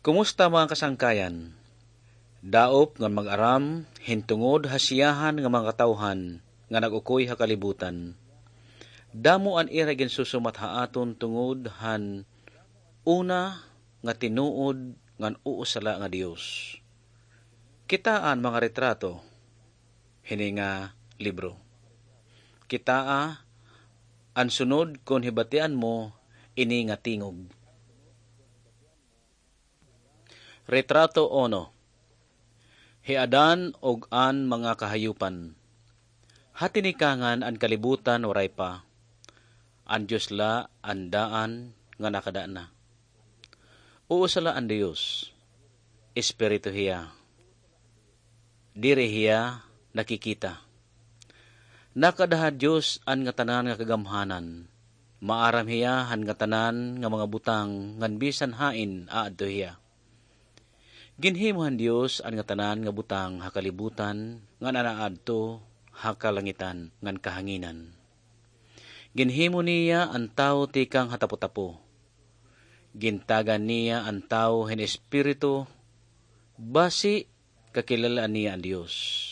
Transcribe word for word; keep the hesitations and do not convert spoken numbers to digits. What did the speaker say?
Kumusta, mga kasangkayan? Daop ngan mag-aram hin tungod ha siyahan nga mga katawhan nga nag-ukoy ha kalibutan. Damo an ira ginsusumat ha aton tungod han una nga tinuod ngan usa la nga Dios. Kitaa an mga retrato hini nga libro. Kitaa an sunod kon hibatian mo ini nga tingog. Retrato uno. Hi Adan ug an mga kahayupan. Ha tinikangan an kalibutan waray pa. An Dios la an daan nga nakada na. Usa la an Dios. Espiritu hiya. Diri hiya nakikita. Nakada ha Dios an ngatanan nga kagamhanan. Maaram hiya han ngatanan nga mga butang ngan bisan hain aadto hiya. Ginhimo han Dios an ngatanan nga butang ha kalibutan ngan an aadto ha kalangitan ngan kahanginan. Ginhimo niya an tawo tikang ha tapotapo. Gintagan niya an tawo hin espiritu basi kakilal-an niya an Dios.